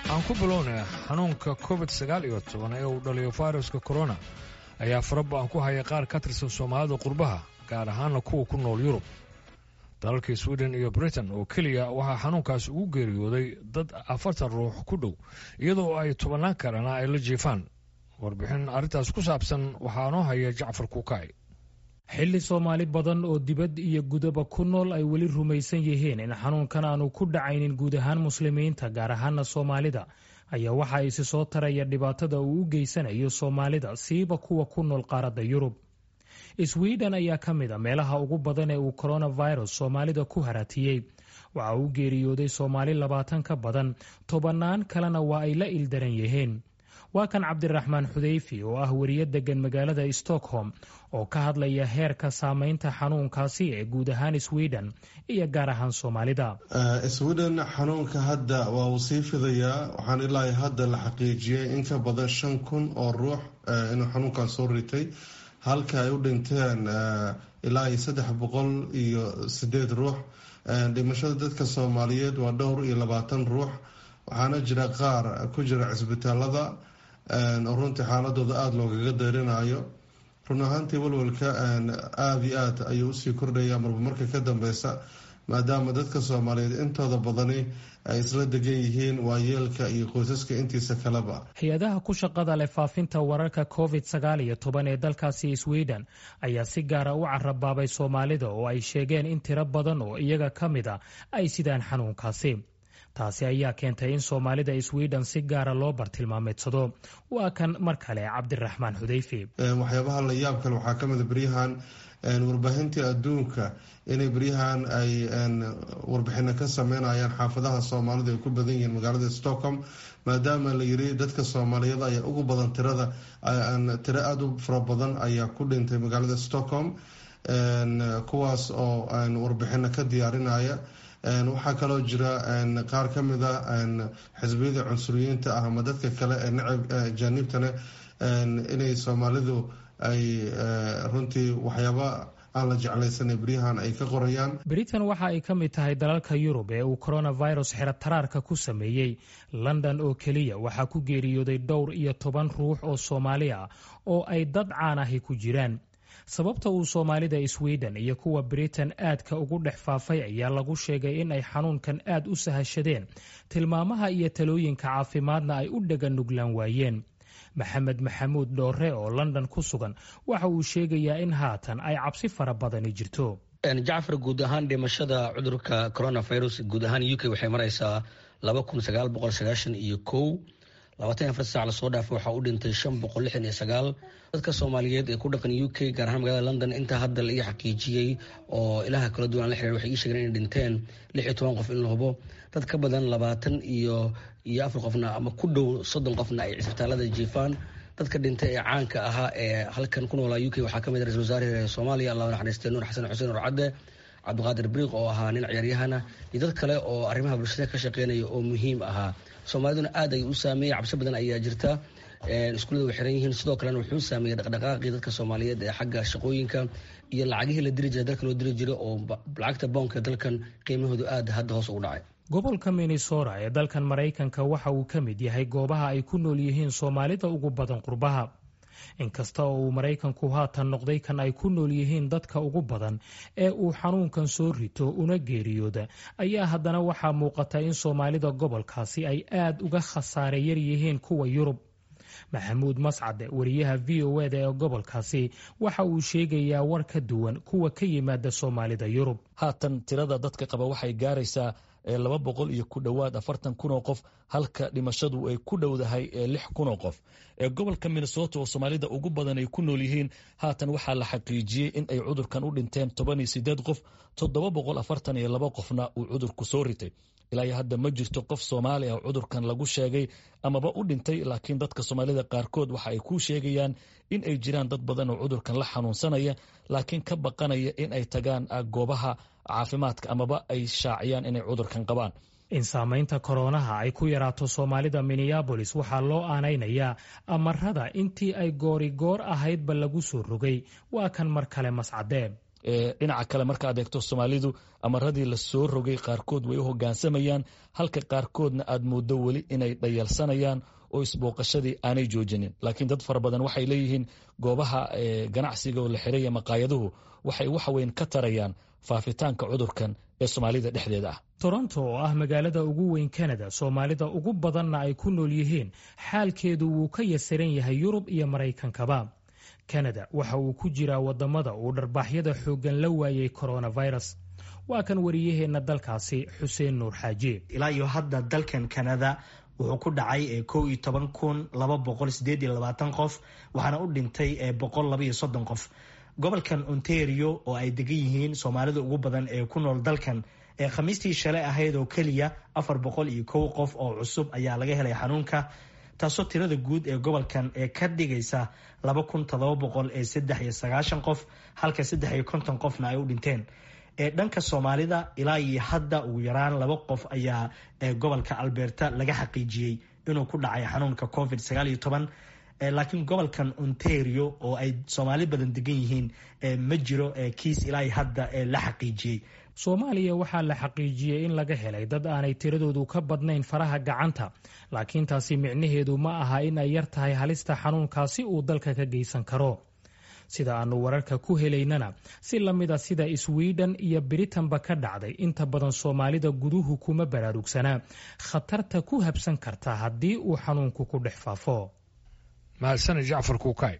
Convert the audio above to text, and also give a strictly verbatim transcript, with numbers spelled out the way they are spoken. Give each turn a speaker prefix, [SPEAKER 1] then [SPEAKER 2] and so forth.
[SPEAKER 1] Aan ku bilownay xanuunka Covid sagaal iyo toban ee uu dhaliyo fayraska corona ayaa faraba-an ku haya qaar ka tirsan Soomaalida qurbaha, gaar ahaana kuwa ku nool Yurub. Dalalkii Sweden iyo Britain oo keliya waxaa xanuunkaasi ugu geeriyooday dad afartan ruux ku dhow, iyadoo ay tobannaan kalena ay la jiifaan. Warbixin arrintaas ku saabsan waxaa noo haya Jacfar Kuukay.
[SPEAKER 2] Xilli Soomaali badan oo dibad iyo gudaba ku nool ay weli rumaysan yihiin in xanuunkan aanu ku dhacaynin guud ahaan Muslimiinta, gaar ahaana Soomaalida, ayaa waxa isi soo taraya dhibaatada uu u geysanayo Soomaalida, siiba kuwa ku nool qaaradda Yurub. Sweden ayaa ka mid a meelaha ugu badan ee uu coronavirus Soomaalida ku haratiyey. Waxa uu geeriyooday Soomaali labaatan ka badan, tobannaan kalena waa ay la ildaran yihiin. Waa kan Cabdiraxmaan Xudeyfi oo ah wariye degan magaalada Stockholm oo ka hadlaya heerka saameynta xanuunkaasi ee guud ahaan Sweden iyo gaar ahaan Soomaalida.
[SPEAKER 3] Sweden xanuunka hadda waa uu sii fidayaa. Waxaan ilaa hadda la xaqiijiyey in ka badan shan kun oo ruux inuu xanuunkan soo ritay, halka ay u dhinteen ilaa iyo saddex boqol iyo sideed ruux. Dhimashada dadka Soomaaliyeed waa dhowr iyo labaatan ruux, waxaana jira qaar ku jira cisbitaalada oo runtii xaaladooda aada loogaga deyrinayo. Run ahaantii, walwalka aada iyo aad ayuu usii kordhaya marba marka ka dambeysa, maadaama dadka Soomaaliyeed intooda badani ay isla degan yihiin, waayeelka iyo qoysaska intiisa kaleba.
[SPEAKER 2] Hay-adaha ku shaqada leh faafinta wararka Covid sagaal iyo toban ee dalkaasi Sweden ayaa si gaara u carabaabay Soomaalida, oo ay sheegeen in tiro badan oo iyaga ka mid a ay sidaan xanuunkaasi. Taasi ayaa keentay in Soomaalida Sweden si gaara loo bartilmaameedsado. Waa kan mar kale Cabdiraxmaan Xudeyfi.
[SPEAKER 3] Waxyaabaha la yaab kale waxaa kamid a beryahan warbaahintii adduunka inay beryahan ay warbixino ka sameynayaan xaafadaha Soomaalida ay ku badan yihiin magaalada Stockholm, maadaama la yiri dadka Soomaaliyeed ayaa ugu badan tirada, tiro aada u fara badan ayaa ku dhintay magaalada Stockholm, kuwaas oo warbixino ka diyaarinaya. Waxaa kaloo jira qaar ka mid a xisbiyada cunsuriyiinta ah ama dadka kale ee nacab ajaaniibtana inay Soomaalidu ay runtii waxyaaba aan la jeclaysanay beryahan ay ka qorayaan.
[SPEAKER 2] Britain waxa ay ka mid tahay dalalka Yurub ee uu coronavirus xero taraarka ku sameeyey. London oo keliya waxaa ku geeriyooday dhowr iyo toban ruux oo Soomaali ah oo ay dad caan ahi ku jiraan. Sababta uu Soomaalida Sweden iyo kuwa Britain aadka ugu dhex faafay ayaa lagu sheegay in ay xanuunkan aad u sahashadeen, tilmaamaha iyo talooyinka caafimaadna ay u dhega nuglaan waayeen. Maxamed Maxamuud Dhoore oo London ku sugan waxa uu sheegayaa in haatan ay cabsi fara badani jirto.
[SPEAKER 4] Jacfar, guud ahaan dhimashada cudurka coronavirus guud ahaan U K waxay maraysaa laba kun sagaal boqol sagaashan iyo kow. Labaatan iyo afar saac lasoo dhaafay waxaa u dhintay shan boqol lixdan iyo sagaal. Dadka Soomaaliyeed ee ku dhaqan U K, gaar ahaan magaalada London, intaa hadda la ii xaqiijiyey oo ilaha kala duwan la xiriir, waxay ii sheegeen inay dhinteen lix iyo toban qof in la hubo, dad ka badan labaatan iyo iyo afar qofna ama ku dhow soddon qofna ay cisbitaalada jiifaan. Dadka dhintay ee caanka ahaa ee halkan ku noolaa U K waxaa kamid ah ra-isul wasaare Soomaaliya, Allah naxariistay, Nuur Xasan Xuseen Urcadde, Cabdiqaadir Briiq oo ahaa nin ciyaaryahana, iyo dad kale oo arrimaha bulshada ka shaqeynaya oo muhiim ahaa. Soomaaliduna aad ay u saameeyey. Cabsi badan ayaa jirta, iskuullada way xiran yihiin. Sidoo kalena wuxuu saameeyey dhaqdhaqaaqii dadka Soomaaliyeed ee xagga shaqooyinka iyo lacagihii la diri jiray, dalka loo diri jiray, oo lacagta boonka dalkan qiimahoodu aad hadda hoos ugu dhacay.
[SPEAKER 2] Gobolka Minnesota ee dalkan Maraykanka waxa uu ka mid yahay goobaha ay ku nool yihiin Soomaalida ugu badan qurbaha. Inkasta oo uu Maraykanku haatan noqday kan ay ku nool yihiin dadka ugu badan ee uu xanuunkan soo rito una geeriyooda, ayaa haddana waxaa muuqata in Soomaalida gobolkaasi ay aad uga khasaare yar yihiin kuwa Yurub. Maxamuud Mascade, wariyaha V O eda ee gobolkaasi, waxa uu sheegayaa war ka duwan kuwa ka yimaada Soomaalida Yurub.
[SPEAKER 5] Haatan tirada dadka qaba waxay gaaraysaa laba boqol iyo ku dhowaad afartan kun oo qof, halka dhimashadu ay ku dhowdahay lix kun oo qof. Gobolka Minnesota oo Soomaalida ugu badan ay ku nool yihiin, haatan waxaa la xaqiijiyey in ay cudurkan u dhinteen toban iyo sideed qof, toddoba boqol afartan iyo laba qofna uu cudurku soo ritay. Ilaa iyo hadda ma jirto qof Soomaali ah cudurkan lagu sheegay amaba u dhintay, laakiin dadka Soomaalida qaarkood waxa ay ku sheegayaan in ay jiraan dad badan oo cudurkan la xanuunsanaya, laakiin ka baqanaya in ay tagaan goobaha caafimaadka amaba ay shaaciyaan inay cudurkan qabaan.
[SPEAKER 2] In saamaynta koroonaha ay ku yaraato Soomaalida Minneabolis waxaa loo aanaynayaa amarada intii ay goori goor ahaydba lagu soo rogay. Waa kan mar kale Mascadee.
[SPEAKER 5] Dhinaca kale markaad eegto, Soomaalidu amaradii la soo rogay qaarkood way u hogaansamayaan, halka qaarkoodna aad mooddo weli inay dhayalsanayaan oo isbooqashadii aanay joojinin. Laakiin dad fara badan waxay leeyihiin goobaha ganacsiga oo la xiraya, maqaayaduhu, waxay wax weyn ka tarayaan faafitaanka cudurkan ee Soomaalida dhexdeeda ah.
[SPEAKER 2] Toronto oo ah magaalada ugu weyn Canada, Soomaalida ugu badanna ay ku nool yihiin, xaalkeedu wuu ka yasiran yahay Yurub iyo Maraykankaba. Canada waxa uu ku jiraa wadamada uu dharbaaxyada xooggan la waayay coronavirus. Waa kan wariyaheenna dalkaasi, Xuseen Nuur Xaaji.
[SPEAKER 6] Ilaa iyo hadda dalkan Canada wuxuu ku dhacay kow iyo toban kun laba boqol sideed iyo labaatan qof, waxaana u dhintay boqol laba iyo soddon qof. Gobolkan Ontario oo ay degan yihiin Soomaalida ugu badan ee ku nool dalkan, ee Khamiistii shalay ahayd oo keliya afar boqol iyo kow qof oo cusub ayaa laga helay xanuunka, taasoo tirada guud ee gobolkan ee ka dhigaysa laba kun todoba boqol ee saddex iyo sagaashan qof, halka saddex iyo konton qofna ay u dhinteen. Ee dhanka Soomaalida, ilaa iyo hadda ugu yaraan laba qof ayaa gobolka Alberta laga xaqiijiyey inuu ku dhacay xanuunka COVID sagaal iyo toban, laakiin gobolkan Ontario oo ay Soomaali badan degan yihiin ma jiro kiis ilaa iyo hadda la xaqiijiyey.
[SPEAKER 2] Soomaaliya waxaa la xaqiijiyey in laga helay dad aanay tiradoodu ka badnayn faraha gacanta, laakiin taasi micnaheedu ma aha in ay yar tahay halista xanuunkaasi uu dalka ka geysan karo. Sida aanu wararka ku helaynana, si la mida sida Swiden iyo Britanba ka dhacday, inta badan Soomaalida guduhu kuma baraarugsanaa khatarta ku habsan karta haddii uu xanuunku ku dhex faafo.
[SPEAKER 1] Mahadsanid, Jacfar Kuukay.